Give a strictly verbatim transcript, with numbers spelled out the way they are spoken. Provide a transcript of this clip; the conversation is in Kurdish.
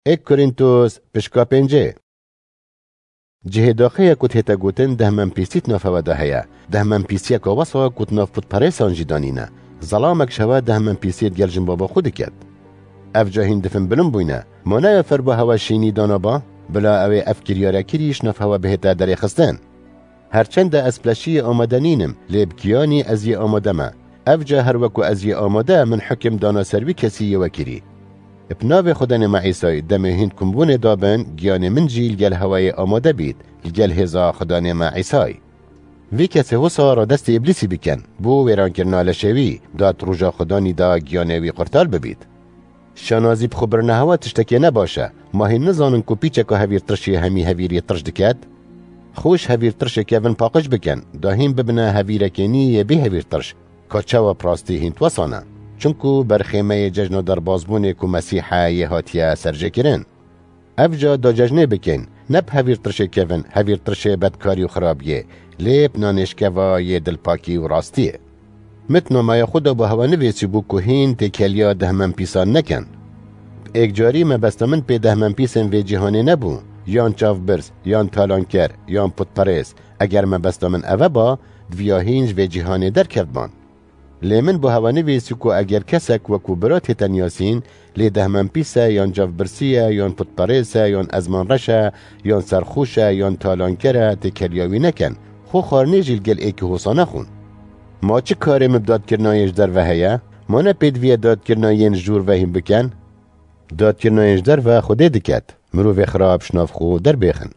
Êk Korîntos, pişka pêncê. Cihê daxê ye ku tête gotin dehmenpîsî di nav hewe de heye. Dehmenpîsiyeka wesa ku di nav putperêsan jî danîne. Zelamek ji hewe dehmenpîsiyê digel jinbaba xwe diket. Ev ca hîn difin bilind bûyne. Ma ne ew ferba hewe şînî dana ba? Bila ew ê ev kiryare kirî ji nav hewe bihête derêxistin. Her çend ez bi leşiyê amade nînim, lê bi giyanî ez yê amade me. Ev ca her weku ez yê amade, min hukim dana ser wî kesî yê we kirî. Bi navê Xudanê me Îsayî, demê hîn kumbûnê dabin, giyanê min jî li gel hewayê amade bît, li gel hêza Xudanê me Îsayî. Vî kesê wisa radestê Îblîsî bikin, bo wêrankirina leşê wî, da di roja Xudanî de giyanê wî qurtar bibît. Şanazî bi xwe birine hewa tiştekê ne baş e. Ma hîn nizanin ku pîçeka hevîrtirşê hemî hevîrî tirş diket? Xwe ji hevîrtirşê kevin paqij bikin, da hîn bibine hevîrekê nî yê bê hevîrtirş. Ka çawa bi rastî hîn di wesa ne? Çunku berxêmeyê cejna derbazbûnê ku Mesîh e yê hatiye serjêkirin. Ev ca da cejnê bikin, ne bi hevîrtirşê kevin, hevîrtirşê bedkarî û xirabiyê, lê bi nanêşkeva yê dilpakî û rastiyê. Min di namaya xwe de bo hewe nivîsîbû ku hîn têkiliya dehmenpîsan nekin. Êkcarî mebesta min pê dehmenpîsên vê cîhanê nebû, yan çavbirz, yan talanker, yan putperêz. Eger mebesta min eve ba, diviya hîn ji vê cîhanê derkevtban. Lê min bo hewe nivîsî ku eger kesek weku bira tête niyasîn, lê dehmenpîs e, yan cavbirsî ye, yan putperêz e, yan ezmanreş e, yan serxoş e, yan talanker e, têkiliya wî nekin. Xwe xwarinê jî li gel êkî hosa nexwin. Ma çi karê min bi dadkirina yên ji derve heye? Ma ne pêdiviye dadkirina yên ji jor ve hîn bikin? Dadkirina yên ji derve Xwedê diket. Mirovê xirab ji nav xwe derbêxin.